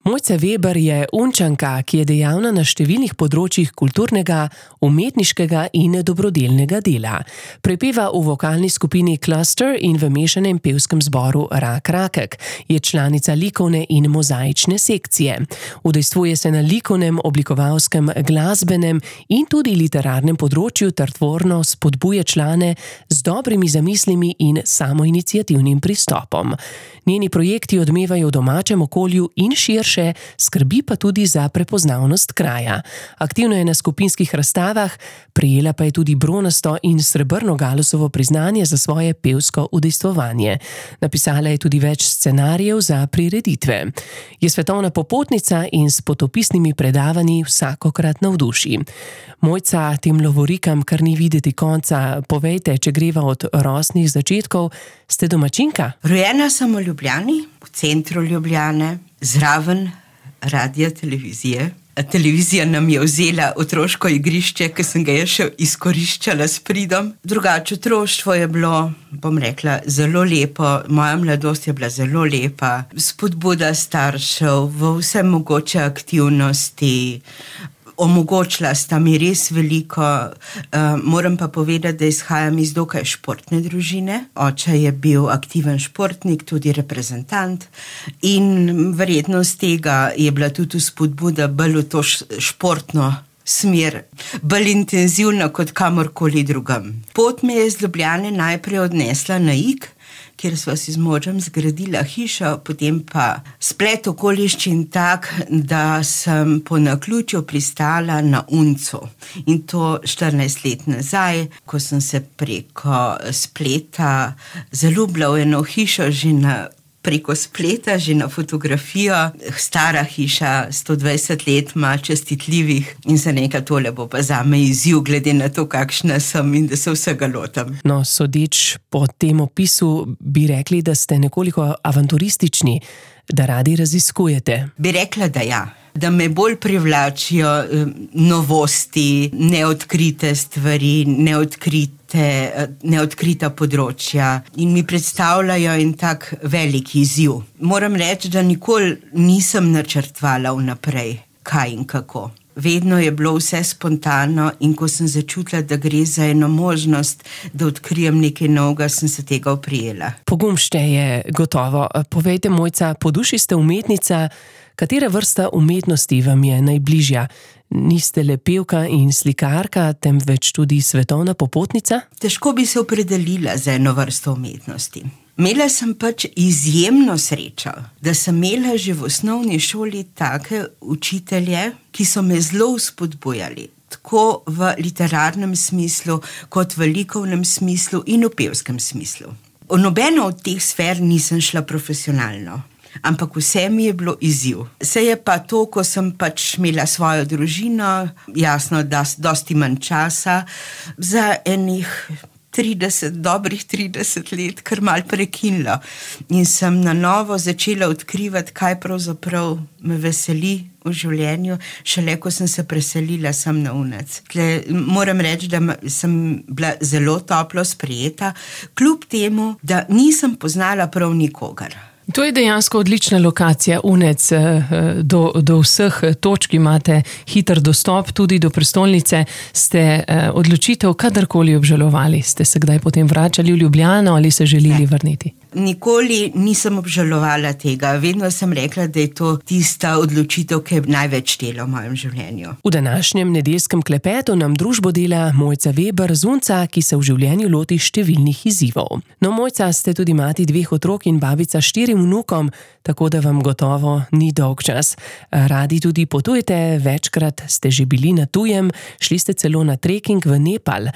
Mojca Veber je Unčanka, ki je dejavna na številnih področjih kulturnega, umetniškega in dobrodelnega dela. Prepeva v vokalni skupini Cluster in v mešanem pevskem zboru Rak Rakek. Je članica likovne in mozaične sekcije. Udejstvuje se na likovnem, oblikovalskem, glasbenem in tudi literarnem področju ter tvorno spodbuje člane z dobrimi zamislimi in samoiniciativnim pristopom. Njeni projekti odmevajo v domačem okolju in širše, skrbi pa tudi za prepoznavnost kraja. Aktivno je na skupinskih razstavah, prejela pa je tudi bronasto in srebrno Galusovo priznanje za svoje pevsko udejstvovanje. Napisala je tudi več scenarijev za prireditve. Je svetovna popotnica in s potopisnimi predavanji vsakokrat navduši. Mojca, tem lovorikam kar ni videti konca, povejte, če greva od rosnih začetkov, ste domačinka? Rojena sem v Ljubljani, v centru Ljubljane, zraven radia, televizije. Televizija nam je vzela otroško igrišče, ki sem ga je še izkoriščala s pridom. Drugače, otroštvo je bilo, bom rekla, zelo lepo. Moja mladost je bila zelo lepa. Spodbuda staršev v vse mogoče aktivnosti. Omogočila sta mi res veliko. Moram pa povedati, da izhajam iz dokaj športne družine. Oče je bil aktiven športnik, tudi reprezentant in verjetno z tega je bila tudi spodbuda bolj v to športno smer, bolj intenzivna kot kamorkoli drugam. Pot me je iz Ljubljane najprej odnesla na Ig, kjer sva si z možem zgradila hišo, potem pa splet okoliščin tak, da sem po naključju pristala na Uncu. In to 14 let nazaj, ko sem se preko spleta zaljubila v eno hišo preko spleta, že na fotografijo. Stara hiša, 120 let ima, čestitljivih in za nekaj tole bo pa zame izziv, glede na to, kakšna sem in da se vsega lotam. No, sodeč po tem opisu bi rekli, da ste nekoliko avanturistični, da radi raziskujete. Bi rekla, da ja. Da me bolj privlačijo novosti, neodkrite stvari, neodkrita področja in mi predstavljajo en tak velik izziv. Moram reči, da nikoli nisem načrtovala vnaprej, kaj in kako. Vedno je bilo vse spontano in ko sem začutila, da gre za eno možnost, da odkrijem nekaj novega, sem se tega oprijela. Pogum šteje, gotovo. Povejte, Mojca, po duši ste umetnica, katera vrsta umetnosti vam je najbližja? Niste le pevka in slikarka, temveč tudi svetovna popotnica? Težko bi se opredelila za eno vrsto umetnosti. Imela sem pač izjemno srečo, da sem imela že v osnovni šoli take učitelje, ki so me zelo vzpodbujali, tako v literarnem smislu, kot v likovnem smislu in v pevskem smislu. V nobeno od teh sfer nisem šla profesionalno. Ampak vse mi je bilo izziv. Se je pa to, ko sem pač imela svojo družino, jasno, da dosti manj časa, za enih dobrih 30 let, kar malo prekinilo. In sem na novo začela odkrivati, kaj pravzaprav me veseli v življenju, šele ko sem se preselila sem na Unec. Moram reči, da sem bila zelo toplo sprejeta, kljub temu, da nisem poznala prav nikogar. To je dejansko odlična lokacija, Unec, do vseh točk imate hiter dostop, tudi do prestolnice. Ste odločitev kadarkoli obžalovali? Ste se kdaj potem vračali v Ljubljano ali se želeli vrniti? Nikoli nisem obžalovala tega. Vedno sem rekla, da je to tista odločitev, ki je največ štela v mojem življenju. V današnjem nedeljskem klepetu nam družbo dela Mojca Veber z Unca, ki se v življenju loti številnih izzivov. No, Mojca, ste tudi mati 2 otrok in babica 4 vnukom, tako da vam gotovo ni dolg čas. Radi tudi potujete, večkrat ste že bili na tujem, šli ste celo na treking v Nepal.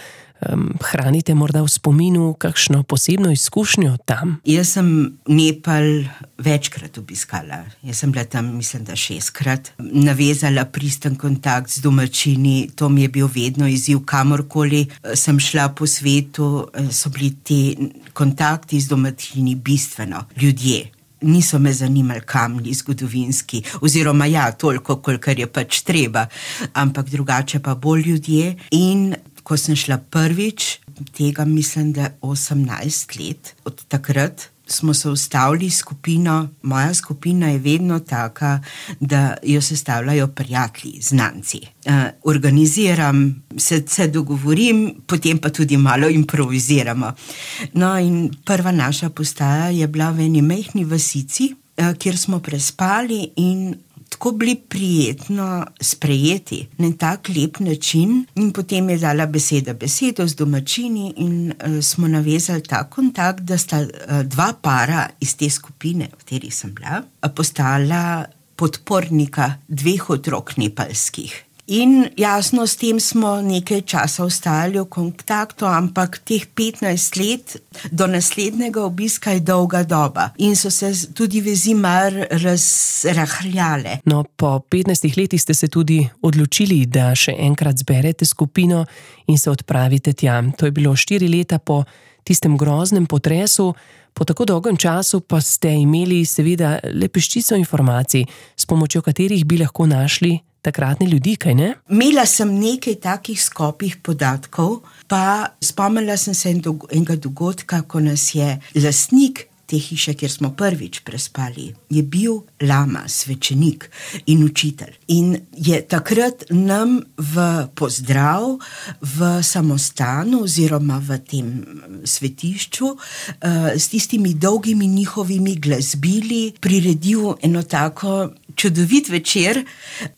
Hranite morda v spominu kakšno posebno izkušnjo tam? Jaz sem Nepal večkrat obiskala. Jaz sem bila tam, mislim, da 6-krat. Navezala pristen kontakt z domačini, to mi je bil vedno izziv, kamorkoli sem šla po svetu, so bili ti kontakti z domačini bistveno. Ljudje. Niso me zanimali kamni zgodovinski, oziroma ja, toliko, kolikor je pač treba, ampak drugače pa bolj ljudje. In ko sem šla prvič, tega mislim, da 18 let od takrat, smo se ustavili skupino. Moja skupina je vedno taka, da jo sestavljajo prijatelji, znanci. Organiziram, se dogovorim, potem pa tudi malo improviziramo. No, in prva naša postaja je bila v eni majhni vasici, kjer smo prespali in tako bili prijetno sprejeti na tak lep način. In potem je dala besedo z domačini in smo navezali ta kontakt, da sta dva para iz te skupine, v kateri sem bila, postala podpornika dveh otrok nepalskih. In jasno, s tem smo nekaj časa ostali v kontaktu, ampak teh 15 let do naslednjega obiska je dolga doba in so se tudi vezi malo razrahljale. No, po 15 letih ste se tudi odločili, da še enkrat zberete skupino in se odpravite tja. To je bilo 4 leta po tistem groznem potresu. Po tako dolgem času pa ste imeli seveda le peščico informacij, s pomočjo katerih bi lahko našli takratne ljudi, kaj ne? Imela sem nekaj takih skopih podatkov, pa spomnila sem se enega dogodka, ko nas je lastnik te hiše, kjer smo prvič prespali, je bil lama, svečenik in učitelj. In je takrat nam v pozdrav v samostanu oziroma v tem svetišču s tistimi dolgimi njihovimi glasbili priredil eno tako čudovit večer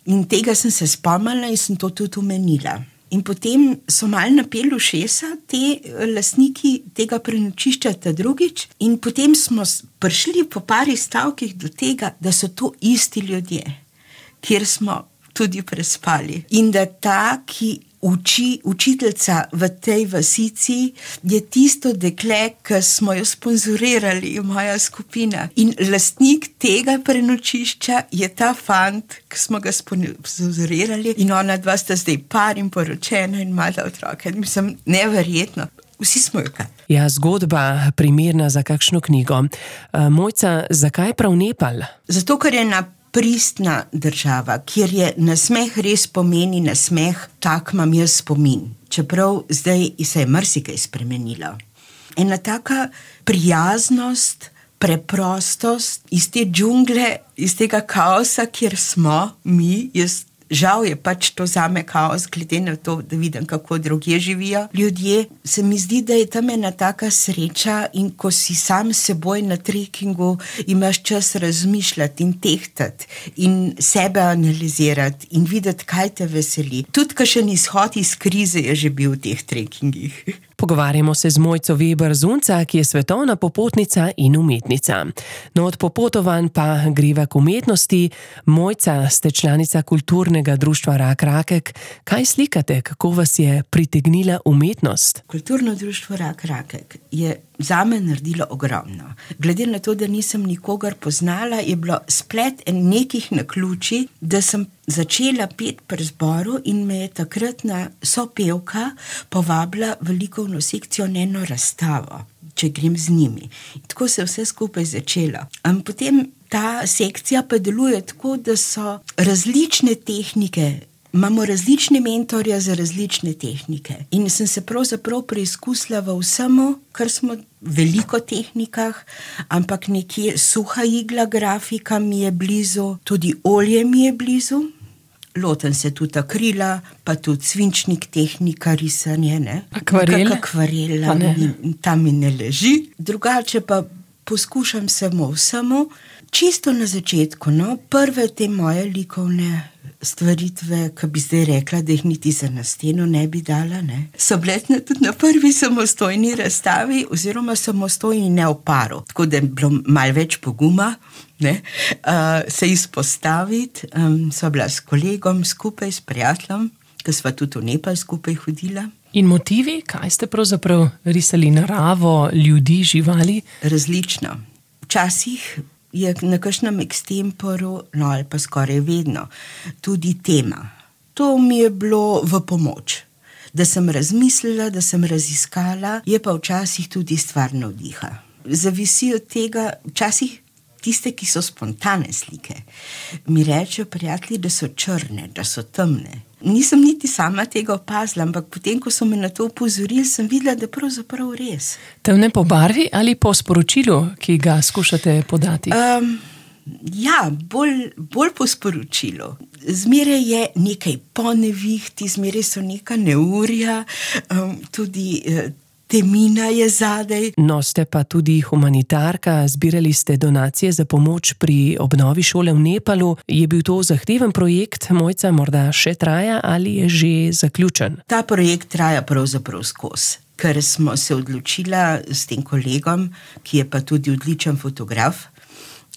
in tega sem se spomnila in sem to tudi omenila. In potem so malo napeli ušesa te lastniki tega prenočišča ta drugič in potem smo prišli po pari stavkih do tega, da so to isti ljudje, kjer smo tudi prespali. In da ta, ki učiteljica v tej vasici, je tisto dekle, ki smo jo sponzorirali, moja skupina. In lastnik tega prenočišča je ta fant, ki smo ga sponzorirali in ona dva sta zdaj par in poročena in mala otroka. Mislim, neverjetno. Vsi smo jo kaj. Ja, zgodba primerna za kakšno knjigo. Mojca, zakaj prav Nepal? Zato, ker je pristna država, kjer je nasmeh res pomeni nasmeh, tak imam jaz spomin. Čeprav zdaj se je marsikaj spremenilo. Ena taka prijaznost, preprostost iz te džungle, iz tega kaosa, kjer smo mi, žal je pač to zame kaos, glede na to, da vidim, kako drugje živijo ljudje. Se mi zdi, da je tam ena taka sreča in ko si sam s seboj na trekingu, imaš čas razmišljati in tehtati in sebe analizirati in videti, kaj te veseli. Tudi kakšen izhod iz krize je že bil v teh trekingih. Pogovarjamo se z Mojco Veber Zunca, ki je svetovna popotnica in umetnica. No, od popotovanj pa greva k umetnosti. Mojca, ste članica kulturnega društva Rak Rakek. Kaj slikate? Kako vas je pritegnila umetnost? Kulturno društvo Rak Rakek je zame naredilo ogromno. Glede na to, da nisem nikogar poznala, je bilo splet nekih naključij, da sem začela peti pri zboru in me je takratna sopevka povabila v likovno sekcijo na eno razstavo, če grem z njimi. In tako se je vse skupaj začelo. Potem ta sekcija pa deluje tako, da so različne tehnike, imamo različne mentorje za različne tehnike. In sem se pravzaprav preizkusila v vsemu, kar smo veliko tehnikah, ampak nekje suha igla grafika mi je blizu, tudi olje mi je blizu. Lotem se tudi akrila, pa tudi svinčnik tehnika, risanje, ne? Akvarela? Akvarela, tam mi ne leži. Drugače pa poskušam samo vsemu. Čisto na začetku, no, prve te moje likovne stvaritve, ki bi zdaj rekla, da jih niti za na steno ne bi dala, ne, so bile tudi na prvi samostojni razstavi oziroma samostojni ne v paru. Tako da je bilo malo več poguma, ne, se izpostaviti. Sva bila s kolegom skupaj, s prijateljem, ki sva tudi v Nepal skupaj hodila. In motivi, kaj ste pravzaprav risali? Naravo, ljudi, živali? Različno. Včasih je na kakšnem extemporu, no ali pa skoraj vedno, tudi tema. To mi je bilo v pomoč. Da sem razmislila, da sem raziskala, je pa včasih tudi stvar navdiha. Zavisi od tega, včasih tiste, ki so spontane slike, mi rečejo prijatelji, da so črne, da so temne. Nisem niti sama tega opazila, ampak potem, ko so me na to opozorili, sem videla, da pravzaprav res. Temne po barvi ali po sporočilu, ki ga skušate podati? Ja, bolj po sporočilu. Zmeraj je nekaj ponevihti, zmeraj so neka neurja, tudi temina je zadaj. No, ste pa tudi humanitarka, zbirali ste donacije za pomoč pri obnovi šole v Nepalu. Je bil to zahteven projekt, Mojca, morda še traja ali je že zaključen? Ta projekt traja pravzaprav skozi, ker smo se odločila s tem kolegom, ki je pa tudi odličen fotograf,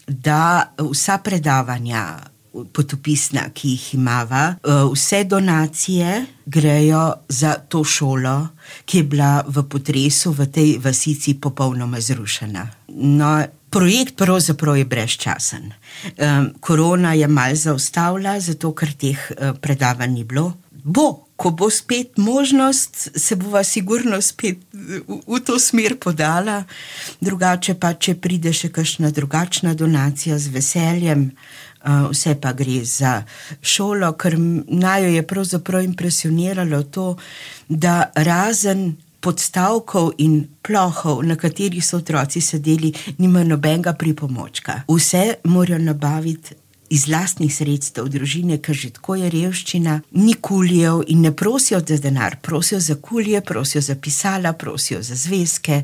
da vsa predavanja potopisna, ki jih imava, vse donacije grejo za to šolo, ki je bila v potresu v tej vasici popolnoma zrušena. No, projekt pravzaprav je brezčasen. Korona je malo zaustavila, zato ker teh predavanj ni bilo. Ko bo spet možnost, se bova sigurno spet v to smer podala. Drugače pa, če pride še kakšna drugačna donacija z veseljem, vse pa gre za šolo, ker naju je pravzaprav impresioniralo to, da razen podstavkov in plohov, na katerih so otroci sedeli, nima nobenega pripomočka. Vse morajo nabaviti iz lastnih sredstev družine, ker že tako je revščina, ni kulijev in ne prosijo za denar, prosijo za kulije, prosijo za pisala, prosijo za zvezke.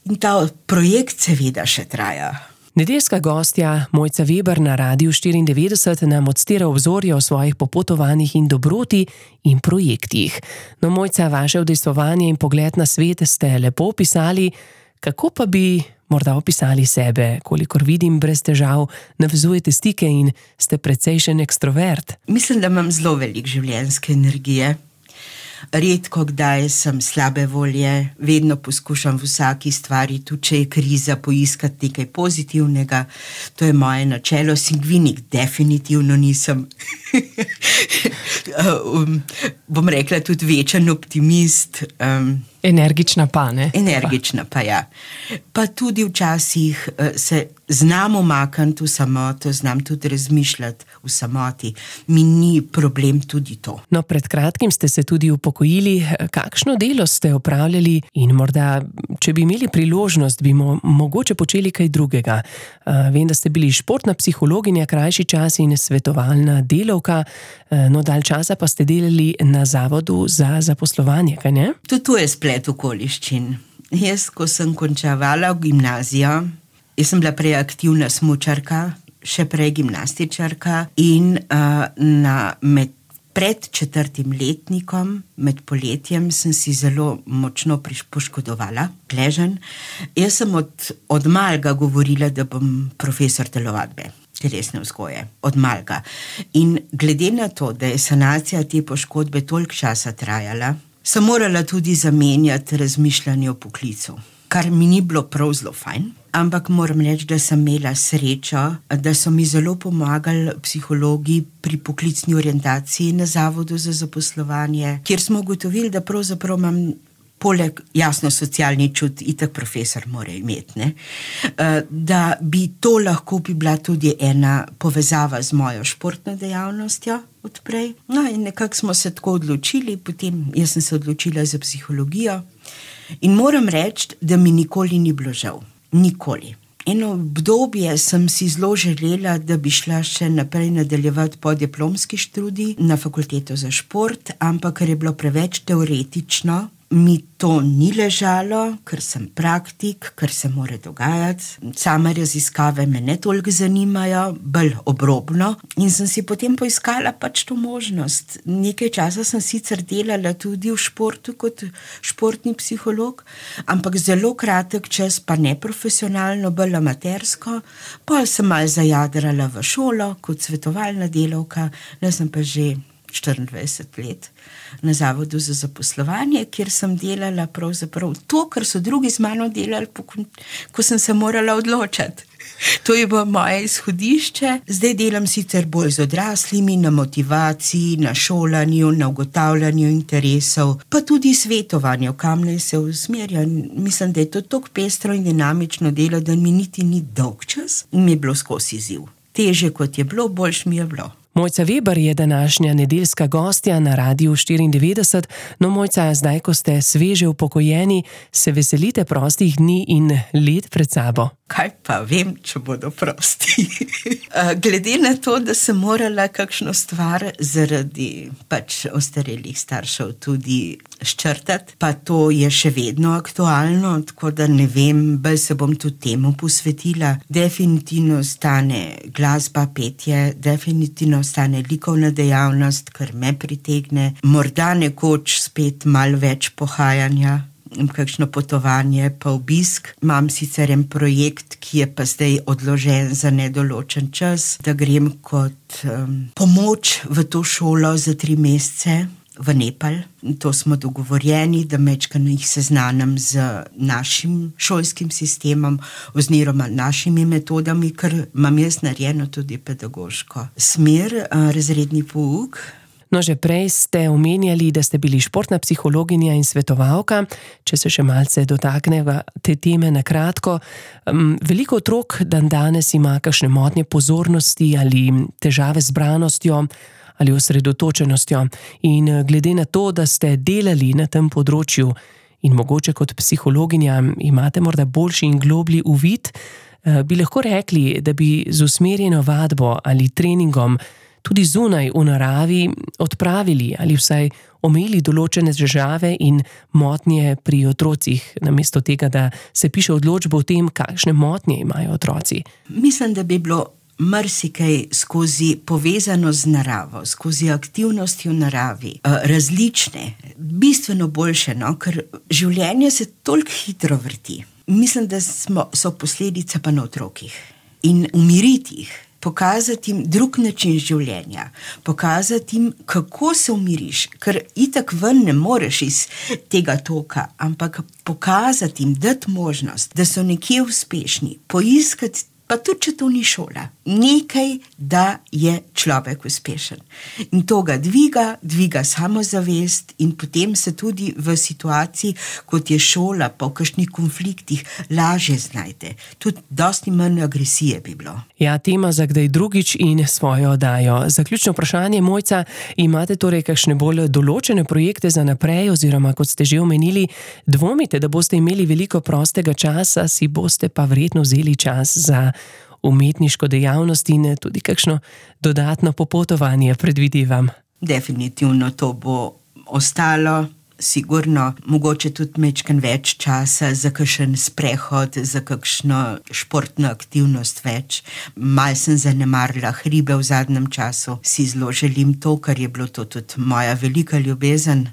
In ta projekt seveda še traja. Nedeljska gostja Mojca Veber na Radiu 94 nam odstira obzorje o svojih popotovanjih in dobroti in projektih. No, Mojca, vaše udejstvovanje in pogled na svet ste lepo opisali, kako pa bi morda opisali sebe? Kolikor vidim, brez težav navezujete stike in ste precejšen ekstrovert. Mislim, da imam zelo veliko življenjske energije. Redko kdaj sem slabe volje, vedno poskušam v vsaki stvari, tudi če je kriza, poiskati nekaj pozitivnega. To je moje načelo, singvinik definitivno nisem. Bom rekla tudi večen optimist. Energična pa, ne? Energična pa, ja. Pa tudi včasih se znam umakniti v samoto, znam tudi razmišljati v samoti. Mi ni problem tudi to. No, pred kratkim ste se tudi upokojili. Kakšno delo ste opravljali in morda, če bi imeli priložnost, bi mogoče počeli kaj drugega? Vem, da ste bili športna psihologinja krajši čas in svetovalna delavka, no dalj časa pa ste delali na Zavodu za zaposlovanje, kaj ne? Tudi to je splet okoliščin. Jaz, ko sem končevala gimnazijo, jaz sem bila prej aktivna smučarka, še prej gimnastičarka in pred 4. letnikom, med poletjem, sem si zelo močno poškodovala gleženj. Jaz sem od malega govorila, da bom profesor telovadbe, telesne vzgoje, od malega. In glede na to, da je sanacija te poškodbe toliko časa trajala, sem morala tudi zamenjati razmišljanje o poklicu, kar mi ni bilo prav zelo fajn, ampak moram reči, da sem imela srečo, da so mi zelo pomagali psihologi pri poklicni orientaciji na Zavodu za zaposlovanje, kjer smo ugotovili, da pravzaprav imam poleg jasno socialni čut, itak profesor mora imeti, ne? Da bi to lahko bi bila tudi ena povezava z mojo športno dejavnostjo odprej. No in nekako smo se tako odločili, potem jaz sem se odločila za psihologijo in moram reči, da mi nikoli ni bilo žal. Nikoli. Eno obdobje sem si zelo želela, da bi šla še naprej nadaljevati podiplomski študij na fakulteto za šport, ampak ker je bilo preveč teoretično, mi to ni ležalo, ker sem praktik, ker se mora dogajati. Same raziskave me ne toliko zanimajo, bolj obrobno. In sem si potem poiskala pač to možnost. Nekaj časa sem sicer delala tudi v športu kot športni psiholog, ampak zelo kratek čas, pa neprofesionalno, bolj amatersko. Pol sem malo zajadrala v šolo kot svetovalna delavka, jaz sem pa že 24 let na Zavodu za zaposlovanje, kjer sem delala pravzaprav to, kar so drugi z mano delali, ko sem se morala odločati. To je bilo moje izhodišče. Zdaj delam sicer bolj z odraslimi, na motivaciji, na šolanju, na ugotavljanju interesov, pa tudi svetovanju, kam naj se usmerja. Mislim, da je to tako pestro in dinamično delo, da mi niti ni dolg čas in mi je bilo skozi izziv. Težje kot je bilo, boljš mi je bilo. Mojca Veber je današnja nedeljska gostja na Radiu 94. No, Mojca, zdaj, ko ste sveže upokojeni, se veselite prostih dni in let pred sabo? Kaj pa vem, če bodo prosti. Glede na to, da sem morala kakšno stvar zaradi ostarelih staršev tudi sčrtati, pa to je še vedno aktualno, tako da ne vem, bolj se bom tudi temu posvetila. Definitivno ostane glasba, petje, definitivno ostane likovna dejavnost, kar me pritegne. Morda nekoč spet malo več pohajanja, kakšno potovanje, pa obisk. Imam sicer en projekt, ki je pa zdaj odložen za nedoločen čas, da grem kot pomoč v to šolo za 3 mesece v Nepal. To smo dogovorjeni, da majčkeno jih seznanim z našim šolskim sistemom oziroma našimi metodami, ker imam jaz narejeno tudi pedagoško smer, razredni pouk. No, že prej ste omenjali, da ste bili športna psihologinja in svetovalka. Če se še malce dotakneva te teme na kratko. Veliko otrok danes ima kakšne motnje pozornosti ali težave z zbranostjo ali osredotočenostjo. In glede na to, da ste delali na tem področju in mogoče kot psihologinja imate morda boljši in globlji uvid, bi lahko rekli, da bi z usmerjeno vadbo ali treningom tudi zunaj v naravi odpravili ali vsaj omejili določene težave in motnje pri otrocih, namesto tega, da se piše odločbo o tem, kakšne motnje imajo otroci. Mislim, da bi bilo marsikaj skozi povezano z naravo, skozi aktivnosti v naravi, različne, bistveno boljše, ker življenje se toliko hitro vrti. Mislim, da so posledice pa na otrokih. In umiriti jih, pokazati jim drug način življenja, pokazati jim, kako se umiriš, ker itak ven ne moreš iz tega toka, ampak pokazati jim, dati možnost, da so nekje uspešni, poiskati, pa tudi, če to ni šola, nekaj, da je človek uspešen. In to ga dviga samozavest in potem se tudi v situaciji, kot je šola, pa v kakšnih konfliktih lažje znajde. Tudi dosti manj agresije bi bilo. Ja, tema za kdaj drugič in svojo oddajo. Zaključno vprašanje, Mojca, imate torej kakšne bolj določene projekte za naprej, oziroma kot ste že omenili, dvomite, da boste imeli veliko prostega časa, si boste pa verjetno vzeli čas za umetniško dejavnost in tudi kakšno dodatno popotovanje, predvidevam. Definitivno to bo ostalo. Sigurno, mogoče tudi majčkeno več časa za kakšen sprehod, za kakšno športno aktivnost več. Malo sem zanemarila hribe v zadnjem času, si zelo želim to, ker je bilo to tudi moja velika ljubezen.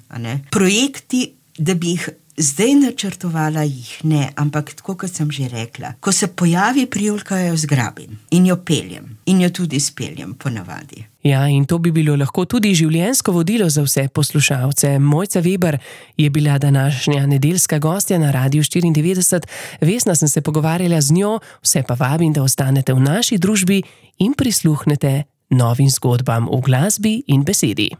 Projekti, da bi jih zdaj načrtovala, jih ne, ampak tako, kot sem že rekla, ko se pojavi prijulka, jo zgrabim in jo peljem in jo tudi speljem ponavadi. Ja, in to bi bilo lahko tudi življenjsko vodilo za vse poslušalce. Mojca Veber je bila današnja nedeljska gostja na Radiu 94. Vesna sem se pogovarjala z njo, vse pa vabim, da ostanete v naši družbi in prisluhnete novim zgodbam v glasbi in besedi.